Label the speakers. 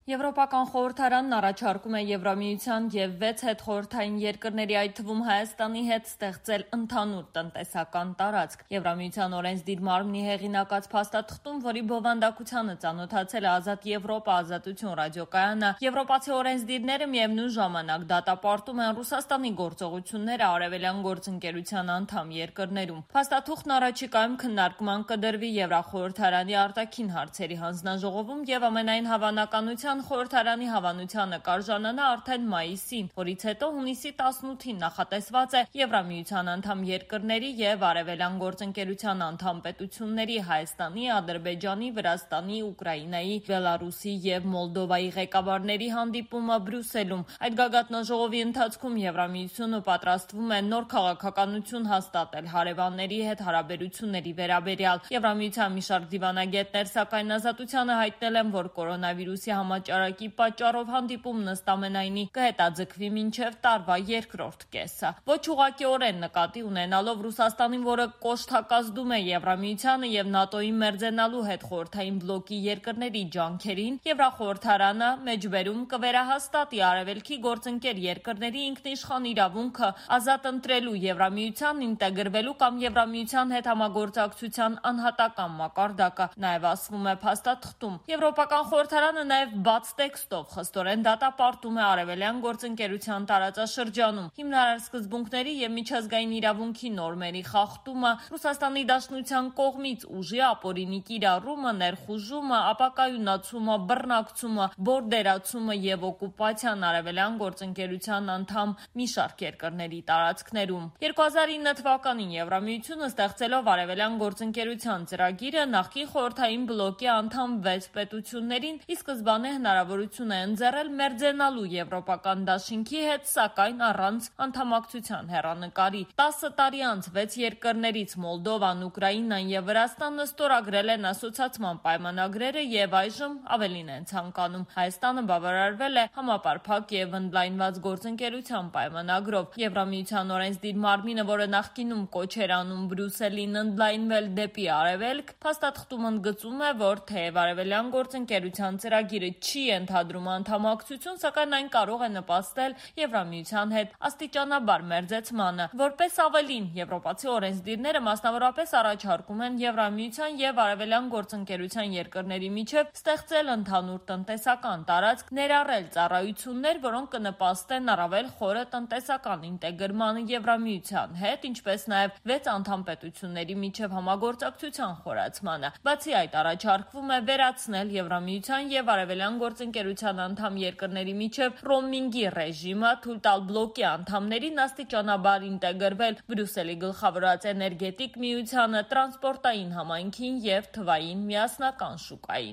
Speaker 1: Եվրոպական խորհրդարանն առաջարկում է Եվրամիության և 6 հետխորհրդային երկրների, այդ թվում Հայաստանի հետ ստեղծել ընդհանուր տնտեսական տարածք։ Եվրամիության օրենսդիր մարմնի հեղինակած փաստաթղթում, որի բովանդակությանը ծանոթացել է Ազատ Եվրոպա ազատություն ռադիոկայանը, եվրոպացի օրենսդիրները միևնույն ժամանակ դատապարտում են Ռուսաստանի գործողությունները Արևելյան գործընկերության անդամ երկրներում։ Փաստաթուղթն առաջիկայում քննարկման կդրվի Եվրախորհրդարանի արտաքին հարցերի հանձնաժողովում և ամենայն հավանականությամբ խորհրդարանի հավանությանը կարժանանա արդեն մայիսին, որից հետո հունիսի 18-ին նախատեսված է Եվրամիության անդամ երկրների և Արևելյան գործընկերության անդամ պետությունների Հայաստանի, Ադրբեջանի, Վրաստանի, Ուկրաինայի, Բելարուսի և Մոլդովայի ղեկավարների հանդիպումը Բրյուսելում։ Այդ գագաթնաժողովի ընթացքում Եվրամիությունը պատրաստվում է նոր քաղաքականություն հաստատել հարևանների հետ հարաբերությունների վերաբերյալ։ Եվրամիության մի շարք դիվանագետներ սակայն Ազատությանը հայտնել են, որ կորոնավիրուսի համաճարակի պատճառով հանդիպումն ըստ ամենայնի կհետաձգվի մինչև տարվա երկրորդ կեսը։ Ոչ ուղղակիորեն նկատի ունենալով Ռուսաստանին, որը կոշտակազդում է Եվրամիությանը և ՆԱՏՕ-ի մերձենալու հետխորհրդային բլոկի երկրների ջանքերին, Եվրախորհրդարանը մեջբերում կվերահաստատի Արևելքի գործընկեր երկրների ինքնիշխան իրավունքը ազատ ընտրելու Եվրամիության ինտեգրվելու կամ Եվրամիության հետ համագործակցության անհատական մակարդակը, նաև ասվում է փաստաթղթում։ Եվրոպական խորհրդարանը նաև բաց տեքստով խստորեն դատապարտում է Արևելյան գործընկերության տարածաշրջանում հիմնարար սկզբունքների և միջազգային իրավունքի նորմերի խախտումը, Ռուսաստանի Դաշնության կողմից ուժի ապօրինի կիրառումը, ներխուժումը, ապակայունացումը, բռնակցումը, բորդերացումը և օկուպացիան Արևելյան գործընկերության անդամ մի շարք երկրների տարածքներում։ 2009 թվականին Եվրամիությունը ստեղծելով Արևելյան գործընկերության ծրագիրը նախկին խորհրդային բլոկի անդամ 6 պետություններին ի սկզբանե հնարավորություն է ընձեռել մերձենալու Եվրոպական դաշինքի հետ, սակայն առանց անդամակցության հեռանկարի։ 10 տարի անց 6 երկրներից Մոլդովան, Ուկրաինան և Վրաստանը ստորագրել են ասոցիացիան պայմանագրերը և այժմ ավելին են ցանկանում։ Հայաստանը բավարարվել է համապարփակ և ընդլայնված գործընկերության պայմանագրով։ Եվրամիության օրենսդիր մարմինը, որը նախկինում կոչ էր անում Բրյուսելին ընդլայնվել դեպի արևելք, փաստաթղթում ընդգծում է, որ թեև Արևելյան գործընկերության ծրագիրը չի ենթադրում անդամակցություն, սակայն այն կարող է նպաստել Եվրամիության հետ աստիճանաբար մերձեցմանը։ Որպես ավելին, եվրոպացի օրենսդիրները մասնավորապես առաջարկում են Եվրամիության և Արևելյան գործընկերության երկրների միջև ստեղծել ընդհանուր տնտեսական տարածք, ներառել ծառայություններ, որոնք կնպաստեն առավել խորը տնտեսական ինտեգրմանը Եվրամիության հետ, ինչպես նաև 6 անդամ պետությունների միջև համագործակցության խորացմանը։ Բացի այդ, առաջարկվում է վերացնել Եվրամիության և Արևելյան գործընկերության անդամ երկրների միջև ռոմինգի ռեժիմը, թույլ տալ բլոկի անդամներին աստիճանաբար ինտեգրվել Բրյուսելի գլխավորած էներգետիկ միությանը, տրանսպորտային համայնքին և թվային միասնական շուկային։